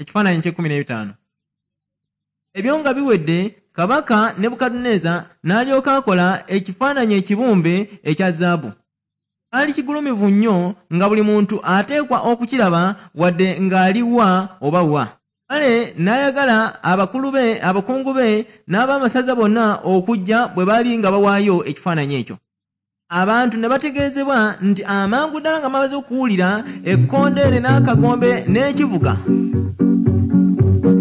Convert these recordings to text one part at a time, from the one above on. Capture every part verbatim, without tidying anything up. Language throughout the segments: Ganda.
Ekifaananyi eky'ekkumi n'ebitaano. Ebyo nga biwedde, kabaka Nebukadduneeza n'alyoka akola ekifaananyi ekibumbe ekya zaabu. Kyali kigulumivu nnyo nga buli muntu ateekwa okukiraba wadde ng'ali wa oba wa. Kale n'ayagala abakulu be, abakungu be n'ab'amasaza bonna okujja bwe baali nga bawaayo ekifaananyi ekyo. Abantu ne bategeezebwa nti amangu ddala nga bamaze okuwulira ekkondeere n'akagombe n'ekivuga,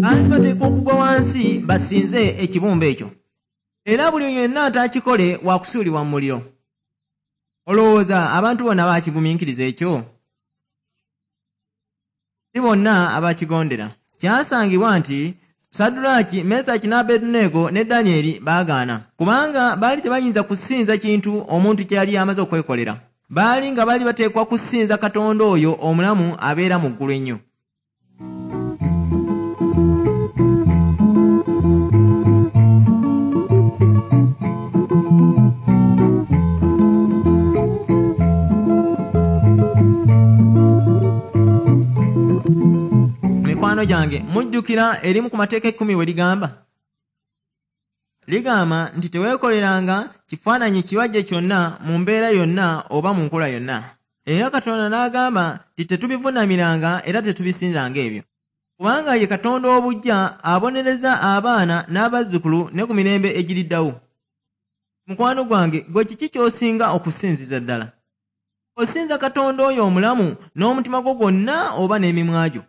baali bateekwa okugwa wansi basinze ekibumbe ekyo. Era buli yenna ataakikole wa kusuulibwa mu muliro. Olowooza abantu bonna baakigumiikiriza ekyo? Si bonna abakigondera. Kyasangibwa nti Saddulaaki, Mesaki ne Abeduneego ne Danyeri baagaana, kubanga baali tebayinza kusinza kintu omuntu kye yali amaze okwekolera. Baali nga baali bateekwa kusinza Katonda oyo omulamu abeera mu ggulu ennyo. Mikwano gyange, mujjukira erimu ku mateeka ekkumi we ligamba? Ligamba nti teweekoleranga kifaananyi kibajje kyonna mu mbeera yonna oba mu nkola yonna. Era Katonda n'agamba nti tetubivuunamiranga era tetubisinzanga ebyo. Kubanga ye Katonda obuggya abonereza abaana n'abazzukulu ne ku mirembe egiriddawo. Mukwano gwange, gwe kiki ky'osinga okusinziza ddala? Osinza Katonda oyo omulamu n'omutima gwo gwonna oba n'emimwa gyo?